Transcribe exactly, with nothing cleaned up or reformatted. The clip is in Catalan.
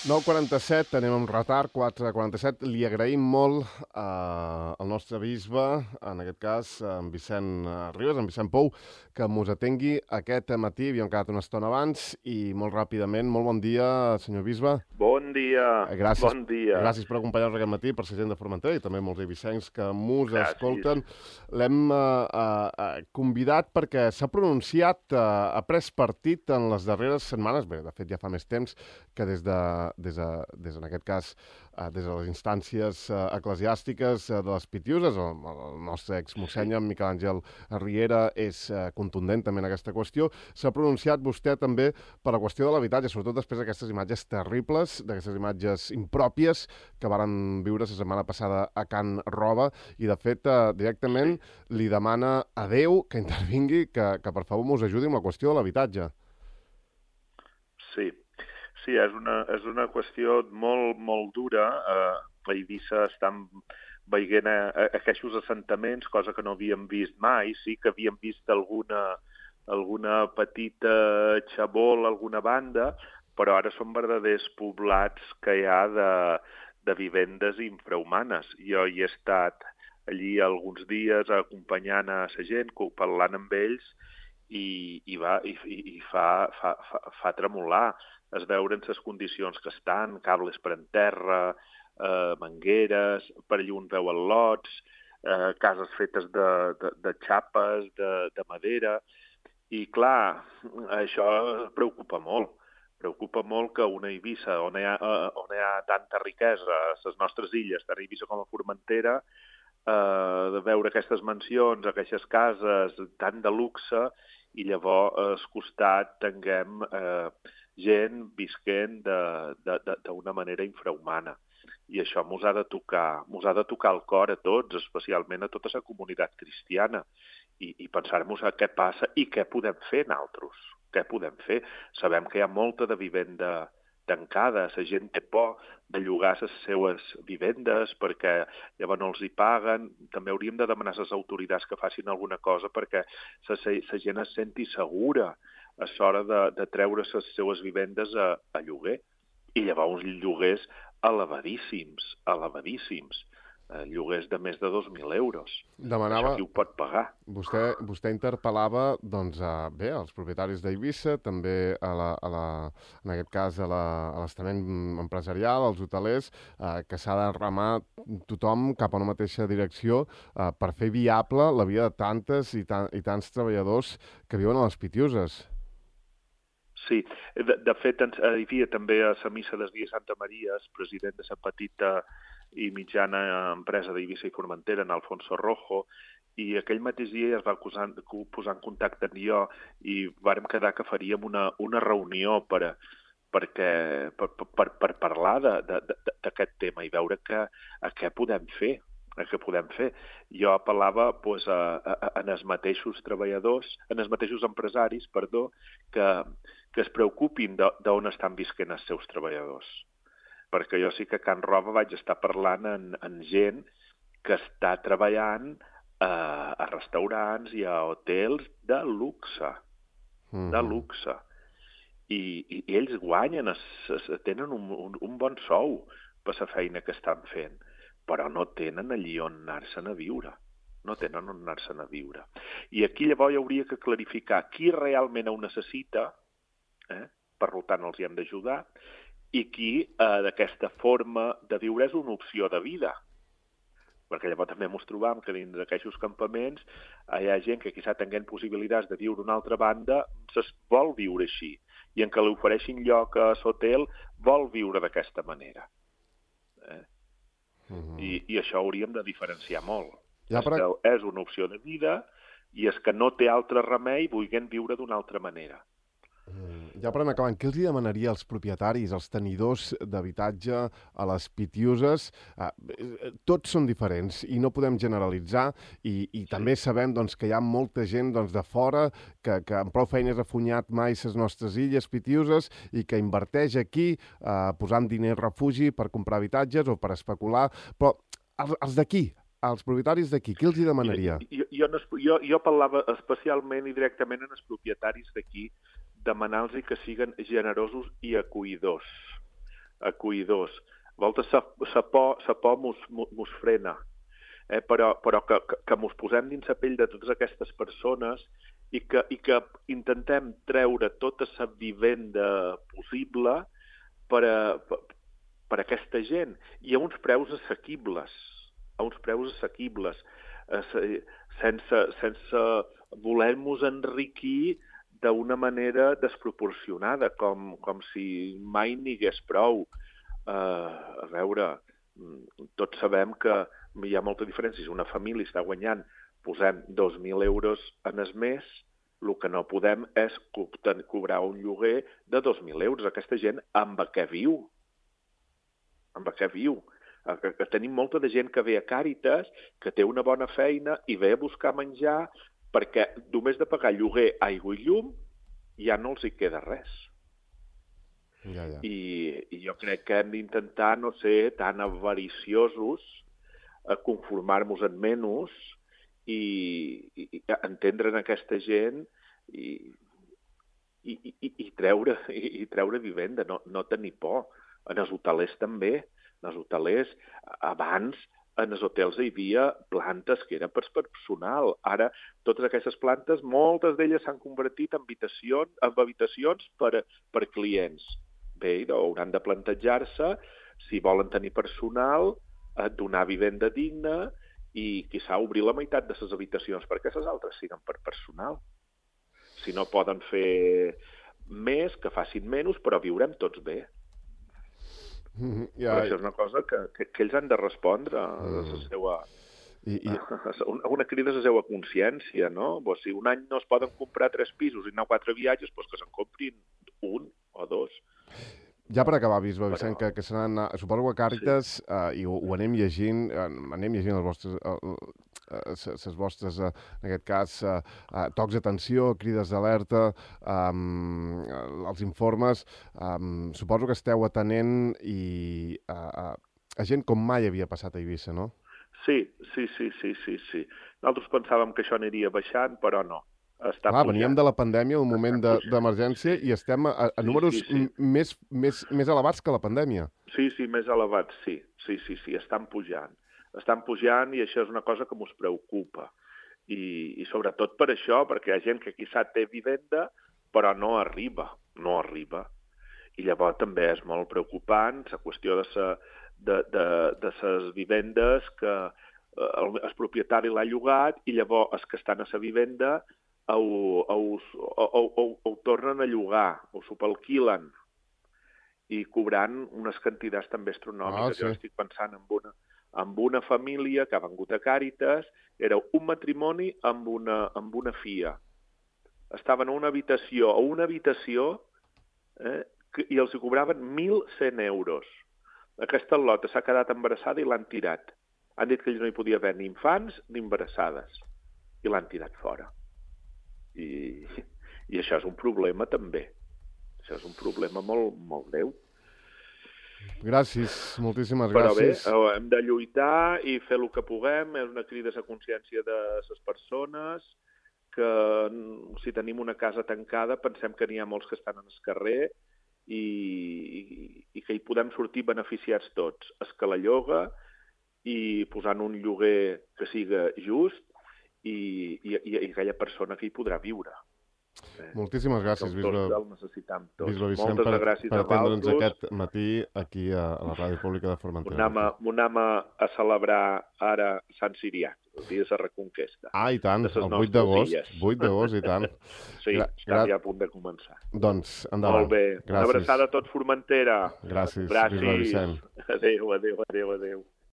nou quaranta-set, anem amb retard, quatre quaranta-set. Li agraïm molt eh, al nostre bisbe, en aquest cas, en Vicent eh, Ribes, en Vicent Pou, que mos atengui aquest matí. Havíem quedat una estona abans i molt ràpidament, molt bon dia, senyor bisbe. Bon dia, Eh, Gràcies, bon dia. gràcies per acompanyar-nos aquest matí, per ser gent de Formentera i també molts eivissencs que mos Gràcies. escolten. L'hem eh, eh, convidat perquè s'ha pronunciat, eh, ha pres partit en les darreres setmanes, bé, de fet ja fa més temps, que des de, des de, des en aquest cas, eh, des de les instàncies eh, eclesiàstiques eh, de les Pitiuses, el, el nostre exmossenya, en Miquel Àngel Riera, és eh, contundent també en aquesta qüestió. S'ha pronunciat vostè també per la qüestió de l'habitatge, sobretot després d'aquestes imatges terribles, d'aquestes imatges impròpies que varen viure la setmana passada a Can Roba, i de fet eh, directament li demana a Déu que intervingui, que, que per favor mos ajudi amb la qüestió de l'habitatge. Sí, sí, és una, és una qüestió molt, molt dura. Eh, a Eivissa estan veient a, a, aquests assentaments, cosa que no havíem vist mai. Sí que havíem vist alguna, alguna petita xabol, alguna banda, però ara són verdaders poblats que hi ha de, de vivendes infrahumanes. Jo hi he estat allí alguns dies acompanyant a la gent, parlant amb ells, i, i, va, i, i fa, fa, fa, fa tremolar. Es veuen les condicions que estan, cables per en terra, eh, mangueres, per allà on veuen lots, eh, cases fetes de, de, de xapes, de, de madera. I clar, això preocupa molt. Preocupa molt que una Eivissa on hi ha, on hi ha tanta riquesa, a les nostres illes, tant a Eivissa com a Formentera, eh, de veure aquestes mansions, aquestes cases tan de luxe, i llavors al costat tinguem eh, gent visquent d'una manera infrahumana. I això mos ha de tocar, mos ha de tocar el cor a tots, especialment a tota la comunitat cristiana, i, i pensar-nos a què passa i què podem fer nosaltres. Què podem fer? Sabem que hi ha molta de vivenda tancada, la gent té por de llogar les seues vivendes perquè llavors no els hi paguen. També hauríem de demanar a les autoritats que facin alguna cosa perquè la gent es senti segura a l'hora de, de treure les seues vivendes a, a lloguer. I llavors uns lloguers elevadíssims, elevadíssims. Lloguers de més de dos mil euros. Demanava... Això qui ho pot pagar? Vostè, vostè interpel·lava, doncs, a, bé, als propietaris d'Eivissa, també a la, a la, en aquest cas a l'estament empresarial, als hotelers, eh, que s'ha de remar tothom cap a una mateixa direcció eh, per fer viable la vida de tantes i, tan, i tants treballadors que viuen a les Pitiuses. Sí, de, de fet, hi havia també a la missa del dia Santa Maria, el president de la petita i mitjana empresa d'Eivissa i Formentera, en Alfonso Rojo, i aquell mateix dia es va posar, posar en contacte amb jo i vàrem quedar que faríem una, una reunió per, perquè, per, per, per parlar d'aquest tema i veure que, a què podem fer. A què podem fer. Jo apel·lava pues, a, a, a els mateixos treballadors, en els mateixos empresaris, perdó, que, que es preocupin d'on estan visquent els seus treballadors. Perquè jo sí que a Can Roba vaig estar parlant amb, amb gent que està treballant a, a restaurants i a hotels de luxe, mm. de luxe. I, i, i ells guanyen, es, es, tenen un, un, un bon sou per la feina que estan fent, però no tenen allí on anar-se'n a viure. No tenen on anar-se'n a viure. I aquí llavors hi hauria que clarificar qui realment ho necessita, eh? Per tant els hi hem d'ajudar, i qui eh, d'aquesta forma de viure és una opció de vida. Perquè llavors també ens trobam que dins d'aquests campaments hi ha gent que quizà tinguent possibilitats de viure una altra banda, es vol viure així. I en què li ofereixin lloc a l'hotel, vol viure d'aquesta manera. Eh? Uh-huh. I, I això hauríem de diferenciar molt. Ja, però... És que és una opció de vida i és que no té altre remei vulguent viure d'una altra manera. Ja per anar acabant, què els demanaria als propietaris, als tenidors d'habitatge, a les Pitiuses? Eh, tots són diferents i no podem generalitzar i, i sí. També sabem doncs, que hi ha molta gent doncs, de fora que, que amb prou feines ha funyat mai les nostres illes Pitiuses i que inverteix aquí eh, posant diners refugi per comprar habitatges o per especular, però els, els d'aquí, als propietaris d'aquí, què els hi demanaria? Jo, jo, no, jo, jo parlava especialment i directament en els propietaris d'aquí, demanar-los que siguin generosos i acollidors. acollidors. A voltes la, la por, la por mos, mos frena, eh? però, però que, que, que mos posem dins la pell de totes aquestes persones i que, i que intentem treure tota la vivenda possible per a, per, per a aquesta gent, i a uns preus assequibles, a uns preus assequibles, eh, sense, sense voler-nos enriquir d'una manera desproporcionada, com, com si mai n'hi hagués prou. Uh, a veure, tots sabem que hi ha molta diferència. Si una família està guanyant, posem dos mil euros en el mes, el que no podem és co cobrar un lloguer de dos mil euros. Aquesta gent amb què viu? Amb què viu? Que, que tenim molta de gent que ve a Càritas, que té una bona feina i ve a buscar menjar, perquè només de pagar lloguer, aigua i llum ja no els hi queda res. Ja, ja. I, I jo crec que hem d'intentar no ser tan avariciosos, a conformar-nos en menys i, i, i entendre en aquesta gent i, i, i, i, treure, i, i treure vivenda, no, no tenir por. En els hotelers també. En els hotelers, abans, en els hotels hi havia plantes que eren per personal. Ara, totes aquestes plantes, moltes d'elles s'han convertit en habitacions, en habitacions per, per clients. Bé, hauran de plantejar-se si volen tenir personal, donar vivenda digna i, quizà, obrir la meitat de les habitacions perquè les altres siguin per personal. Si no poden fer més, que facin menys, però viurem tots bé. Mm, ja, però això és una cosa que, que, que ells han de respondre a la seva... I, i... Una, una crida a la seva consciència, no? Pues si un any no es poden comprar tres pisos i anar a quatre viatges, pues que se'n comprin un o dos. Ja per acabar, Bisbe Vicent, però... que, que seran, suposo que a Càritas, sí. uh, i ho, ho anem llegint, uh, anem llegint els vostres, uh, uh, les vostres, uh, en aquest cas, uh, uh, tocs d'atenció, crides d'alerta, um, els informes, um, suposo que esteu atenent i uh, uh, a gent com mai havia passat a Eivissa, no? Sí, sí, sí, sí, sí, sí. Nosaltres pensàvem que això aniria baixant, però no. Està Clar, pujant. veníem de la pandèmia, un moment d'emergència, i estem a, a números sí, sí, sí. Més, més, més elevats que la pandèmia. Sí, sí, més elevats, sí. Sí, sí, sí, estan pujant. Estan pujant i això és una cosa que ens preocupa. I, i sobretot per això, perquè hi ha gent que quizà té vivenda, però no arriba, no arriba. I llavors també és molt preocupant la qüestió de sa, de, de, de ses vivendes que el, el propietari l'ha llogat i llavors els que estan a sa vivenda ho, ho, ho, ho, ho tornen a llogar, ho subalquilen i cobrant unes quantitats també astronòmiques. Ah, sí. Jo estic pensant en una, en una família que ha vengut a Càritas, era un matrimoni amb una, amb una filla. Estaven a una habitació, a una habitació, eh, que, i els hi cobraven mil cent euros. Aquesta lota s'ha quedat embarassada i l'han tirat. Han dit que no hi podia haver ni infants ni embarassades. I l'han tirat fora. I, i això és un problema també. Això és un problema molt, molt greu. Gràcies, moltíssimes Però gràcies. Però bé, hem de lluitar i fer el que puguem. És una crida a la consciència de les persones, que si tenim una casa tancada pensem que n'hi ha molts que estan en el carrer i, i, i que hi podem sortir beneficiats tots. Es que la lloga i posant un lloguer que siga just i, i, i aquella persona que hi podrà viure. Moltíssimes gràcies, Bisbe, Bisbe Vicent, Moltes per, gràcies per atendre'ns a aquest matí aquí a, a la Ràdio Pública de Formentera. M'ho anem a, a celebrar ara Sant Sirià, el dia de la Reconquesta. Ah, i tant, el vuit d'agost, vuit d'agost, i tant. Sí, Gra està ja a punt de començar. Doncs, endavant. Molt bé. Gràcies. Una abraçada a tots Formentera. Gràcies, gràcies. Bisbe Vicent. Adéu, adéu, adéu, adéu.